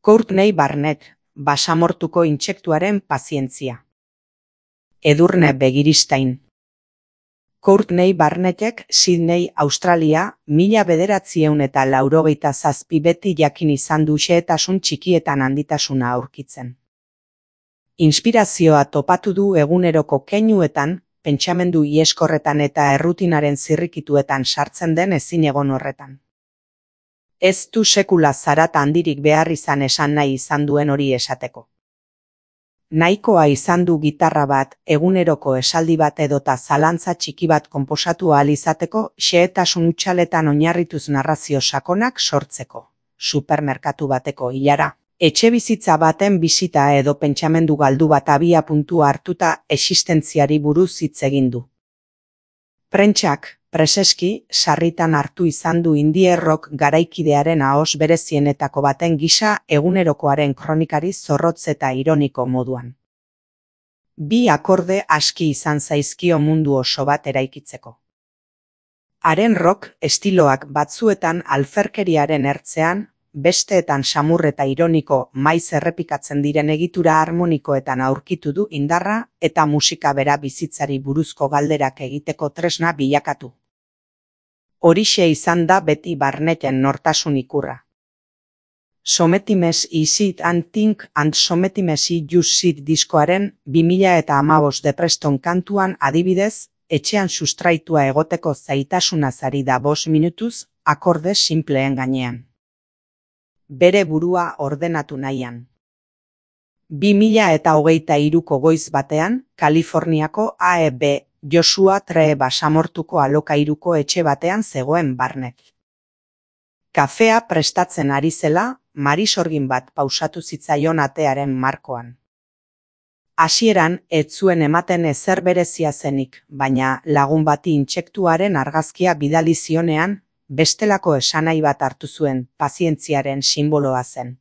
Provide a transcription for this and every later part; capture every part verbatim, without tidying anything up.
Courtney Barnett, basamortuko intsektuaren pazientzia. Edurne Begiristain. Courtney Barnettek Sydney, Australia, mila bederatziehun eta laurogeita zazpi beti jakin izan du xehetasun txikietan handitasuna aurkitzen. Inspirazioa topatu du eguneroko keinuetan, pentsamendu ieskorretan eta errutinaren zirrikituetan sartzen den ezinegon horretan. Ez du sekula zarata handirik behar izan esan nahi izan duen hori esateko. Nahikoa izan du gitarra bat, eguneroko esaldi bat edota zalantza txiki bat konposatu ahal izateko xehetasun hutsaletan oinarrituz narrazio sakonak sortzeko. Supermerkatu bateko ilara, etxebizitza baten bisita edo pentsamendu galdu bat abia puntua hartuta existentziari buruz hitz egin du. Prentsak, preseski, sarritan hartu izan du indie rock garaikidearen ahoz berezienetako baten gisa egunerokoaren kronikari zorrotz eta ironiko moduan. Bi akorde aski izan zaizkio mundu oso bat eraikitzeko. Haren rock estiloak batzuetan alferkeriaren ertzean, besteetan samur eta ironiko maiz errepikatzen diren egitura harmonikoetan aurkitu du indarra eta musika bera bizitzari buruzko galderak egiteko tresna bilakatu. Horixe izan da beti Barnetten nortasun ikurra. Sometimes is it and think and sometimes you sit diskoaren bi mila hamabost depreston kantuan adibidez, etxean sustraitua egoteko zaitasunaz ari da bost minutuz, akorde simpleen gainean. Bere burua ordenatu nahian. bi mila hogeita hiruko goiz batean, Kaliforniako A E B Joshua Tree basamortuko alokairuko etxe batean zegoen Barnett. Kafea prestatzen ari zela, marisorgin bat pausatu zitzaion atearen markoan. Hasieran ez zuen ematen ezer berezia zenik, baina lagun bati intsektuaren argazkia bidali zionean, bestelako esanahi bat hartu zuen, pazientziaren simboloa zen.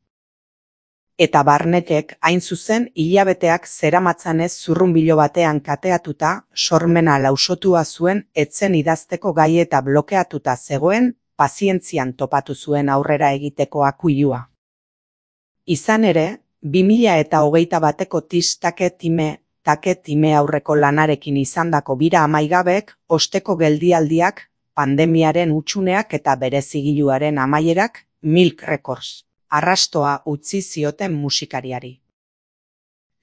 Eta Barnettek hain zuzen hilabeteak zeramatzanez zurrunbilo batean kateatuta, sormena lausotua zuen etzen idazteko gai eta blokeatuta zegoen, pazientzian topatu zuen aurrera egiteko akuilua. Izan ere, bi mila hogeita bateko tis take time, take time aurreko lanarekin izandako bira amaigabek, osteko geldialdiak, pandemiaren hutsuneak eta berezigiluaren amaierak, Milk Records, arrastoa utzi zioten musikariari.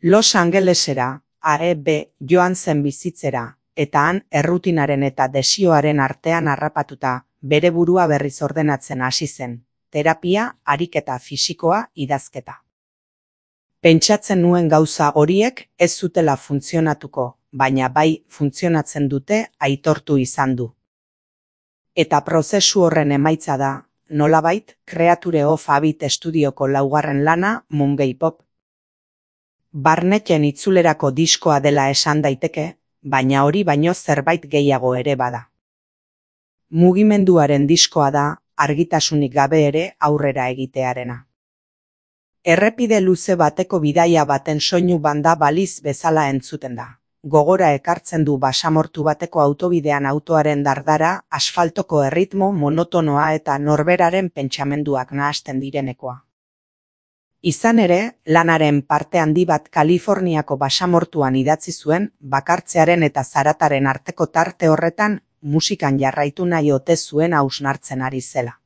Los Angelesera, A E B joan zen bizitzera, eta han errutinaren eta desioaren artean harrapatuta, bere burua berriz ordenatzen hasi zen, terapia, ariketa fisikoa, idazketa. Pentsatzen nuen gauza horiek ez zutela funtzionatuko, baina bai funtzionatzen dute aitortu izan du. Eta prozesu horren emaitza da, nolabait, Creature of Habit estudioko laugarren lana, Mungei Pop. Barnetten itzulerako diskoa dela esan daiteke, baina hori baino zerbait gehiago ere bada. Mugimenduaren diskoa da, argitasunik gabe ere aurrera egitearena. Errepide luze bateko bidaia baten soinu banda baliz bezala entzuten da. Gogora ekartzen du basamortu bateko autobidean autoaren dardara, asfaltoko erritmo monotonoa eta norberaren pentsamenduak nahasten direnekoa. Izan ere, lanaren parte handi bat Kaliforniako basamortuan idatzi zuen, bakartzearen eta zarataren arteko tarte horretan, musikan jarraitu nahi ote zuen hausnartzen ari zela.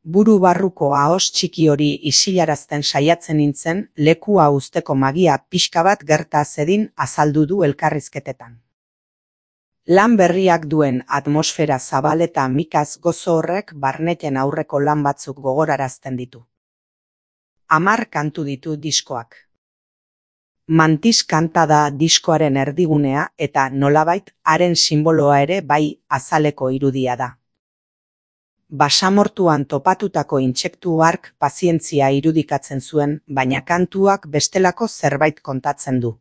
Buru barruko ahos txiki hori isilarazten saiatzen nintzen, lekua uzteko magia pixka bat gerta zedin azaldu du elkarrizketetan. Lan berriak duen atmosfera zabal eta mikaz gozo horrek Barnetten aurreko lan batzuk gogorarazten ditu. Hamar kantu ditu diskoak. Mantis kanta da diskoaren erdigunea eta nolabait haren simboloa ere bai azaleko irudia da. Basamortuan topatutako intsektu hark pazientzia irudikatzen zuen, baina kantuak bestelako zerbait kontatzen du.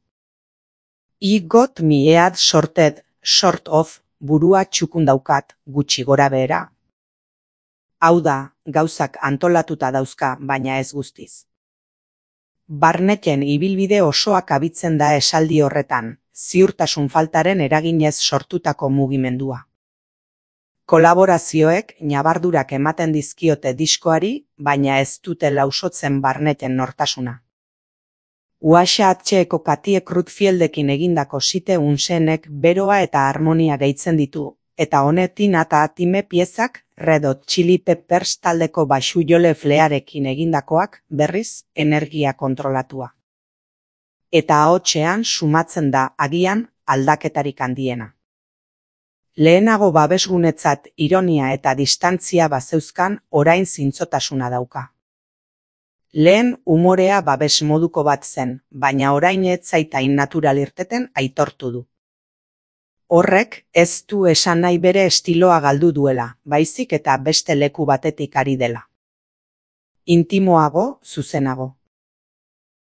I got me head sorted, sort of, burua txukun daukat, gutxi gora behera. Hau da, gauzak antolatuta dauzka, baina ez guztiz. Barnetten ibilbide osoak abitzen da esaldi horretan, ziurtasun faltaren eraginez sortutako mugimendua. Kolaborazioek ñabardurak ematen dizkiote diskoari, baina ez dute lausotzen barneten nortasuna. U H H-eko Katie Crutchfieldrekin egindako Site Unsenek beroa eta harmonia gehitzen ditu, eta honetin eta atime piezak Red Hot Chili Peppers taldeko baxu jole flearekin egindakoak berriz energia kontrolatua. Eta ahotsean sumatzen da agian aldaketarik handiena. Lehenago babesgunetzat ironia eta distantzia bazeuzkan, orain zintzotasuna dauka. Lehen umorea babes moduko bat zen, baina orain ez zaitain natural irteten aitortu du. Horrek ez du esan nahi bere estiloa galdu duela, baizik eta beste leku batetik ari dela. Intimoago, zuzenago.